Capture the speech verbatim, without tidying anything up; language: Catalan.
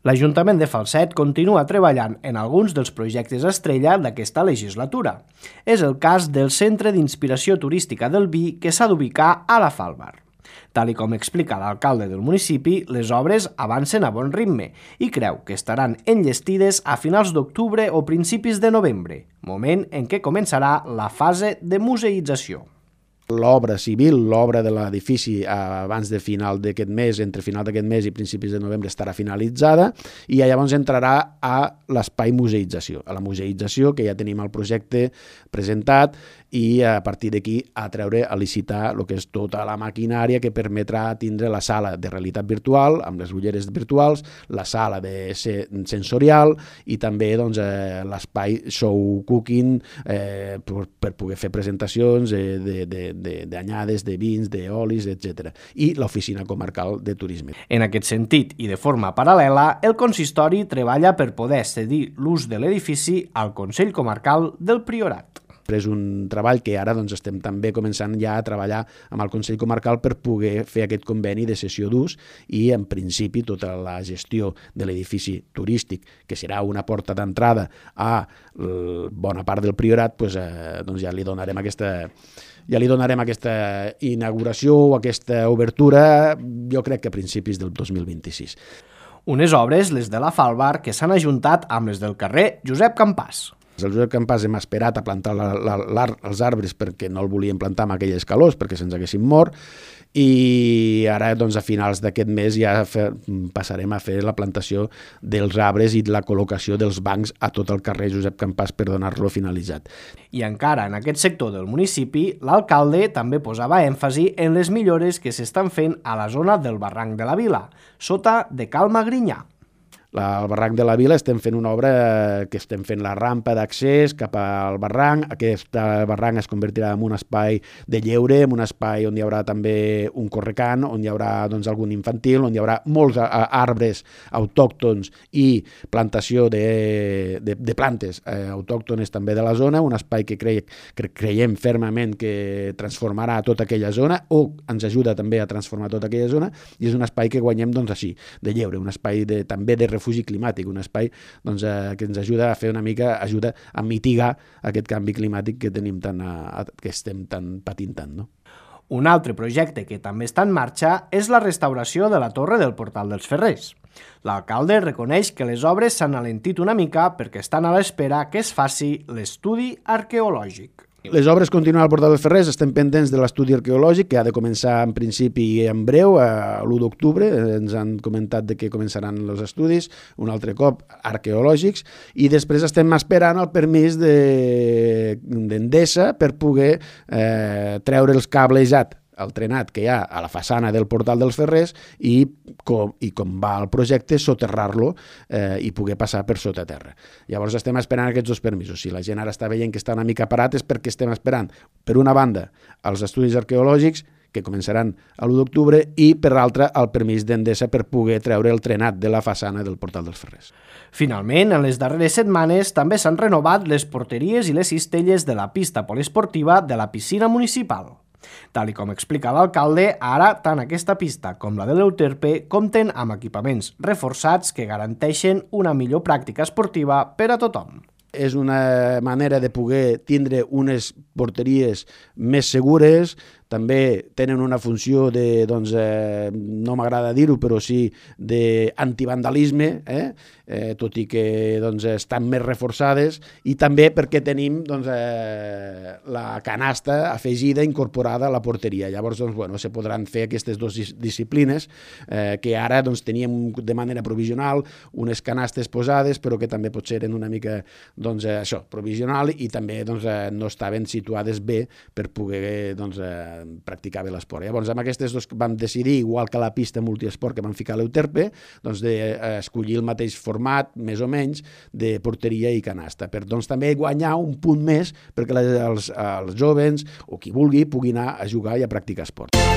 L'Ajuntament de Falset continua treballant en alguns dels projectes estrella d'aquesta legislatura. És el cas del Centre d'Inspiració Turística del Vi que s'ha d'ubicar a la Falbar. Tal i com explica l'alcalde del municipi, les obres avancen a bon ritme i creu que estaran enllestides a finals d'octubre o principis de novembre, moment en què començarà la fase de museïtzació. L'obra civil, l'obra de l'edifici abans de final d'aquest mes, entre final d'aquest mes i principis de novembre estarà finalitzada i llavors entrarà a l'espai museïtzació, a la museïtzació que ja tenim el projecte presentat i a partir d'aquí a treure, a licitar el que és tota la maquinària que permetrà tindre la sala de realitat virtual amb les ulleres virtuals, la sala de sensorial i també doncs, eh, l'espai show cooking eh, per, per poder fer presentacions eh, de, de, de, d'anyades, de vins, d'olis, etcètera. I l'oficina comarcal de turisme. En aquest sentit i de forma paral·lela, el consistori treballa per poder cedir l'ús de l'edifici al Consell Comarcal del Priorat. És un treball que ara doncs, estem també començant ja a treballar amb el Consell Comarcal per poder fer aquest conveni de cessió d'ús i, en principi, tota la gestió de l'edifici turístic, que serà una porta d'entrada a bona part del Priorat, doncs, eh, doncs ja li donarem aquesta... Ja li donarem aquesta inauguració o aquesta obertura, jo crec que a principis del dos mil vint-i-sis. Unes obres, les de la Falbar, que s'han ajuntat amb les del carrer Josep Campàs. El Josep Campàs hem esperat a plantar la, la, la, els arbres perquè no el volíem plantar amb aquelles calors, perquè se'ns haguessin mort, i ara doncs, a finals d'aquest mes ja fe, passarem a fer la plantació dels arbres i la col·locació dels bancs a tot el carrer Josep Campàs per donar-lo finalitzat. I encara en aquest sector del municipi, l'alcalde també posava èmfasi en les millores que s'estan fent a la zona del barranc de la Vila, sota de Cal Magrinyà. Al barranc de la Vila estem fent una obra que estem fent la rampa d'accés cap al barranc. Aquest barranc es convertirà en un espai de lleure, en un espai on hi haurà també un correcant, on hi haurà doncs, algun infantil, on hi haurà molts arbres autòctons i plantació de, de, de plantes eh, autòctones també de la zona, un espai que, cre, que creiem fermament que transformarà tota aquella zona o ens ajuda també a transformar tota aquella zona i és un espai que guanyem doncs, així, de lleure, un espai de, també de refugi climàtic, un espai doncs, eh, que ens ajuda a fer una mica, ajuda a mitigar aquest canvi climàtic que tenim tan, a, que estem tan patint tant, no? Un altre projecte que també està en marxa és la restauració de la torre del Portal dels Ferrers. L'alcalde reconeix que les obres s'han alentit una mica perquè estan a l'espera que es faci l'estudi arqueològic. Les obres continuen al Portal dels Ferrers, estem pendents de l'estudi arqueològic, que ha de començar en principi en breu, a l'u d'octubre, ens han comentat de que començaran els estudis, un altre cop arqueològics, i després estem esperant el permís d'Endesa per poder eh, treure els cablejat el trenat que hi ha a la façana del Portal dels Ferrers i com, i com va el projecte, soterrar-lo eh, i poder passar per sota terra. Llavors estem esperant aquests dos permisos. Si la gent ara està veient que està una mica parat és perquè estem esperant, per una banda, els estudis arqueològics que començaran a l'u d'octubre i, per l'altra, el permís d'Endesa per poder treure el trenat de la façana del Portal dels Ferrers. Finalment, en les darreres setmanes també s'han renovat les porteries i les cistelles de la pista poliesportiva de la piscina municipal. Tal i com explica l'alcalde, ara tant aquesta pista com la de l'Euterpe compten amb equipaments reforçats que garanteixen una millor pràctica esportiva per a tothom. És una manera de poder tindre unes porteries més segures, també tenen una funció de, doncs, eh, no m'agrada dir-ho, però sí d'antivandalisme, eh? eh, tot i que doncs, estan més reforçades, i també perquè tenim doncs, eh, la canasta afegida, incorporada a la porteria. Llavors, doncs, bueno, se podran fer aquestes dues disciplines, eh, que ara doncs, teníem de manera provisional unes canastes posades, però que també potser eren una mica doncs, això, provisional, i també doncs, no estaven situades bé per poder doncs, practicar bé l'esport. Llavors, amb aquestes dos vam decidir, igual que la pista multiesport que vam ficar a l'Euterpe, doncs, d'escollir el mateix format, més o menys, de porteria i canasta, per doncs, també guanyar un punt més perquè els, els joves o qui vulgui pugui anar a jugar i a practicar esport.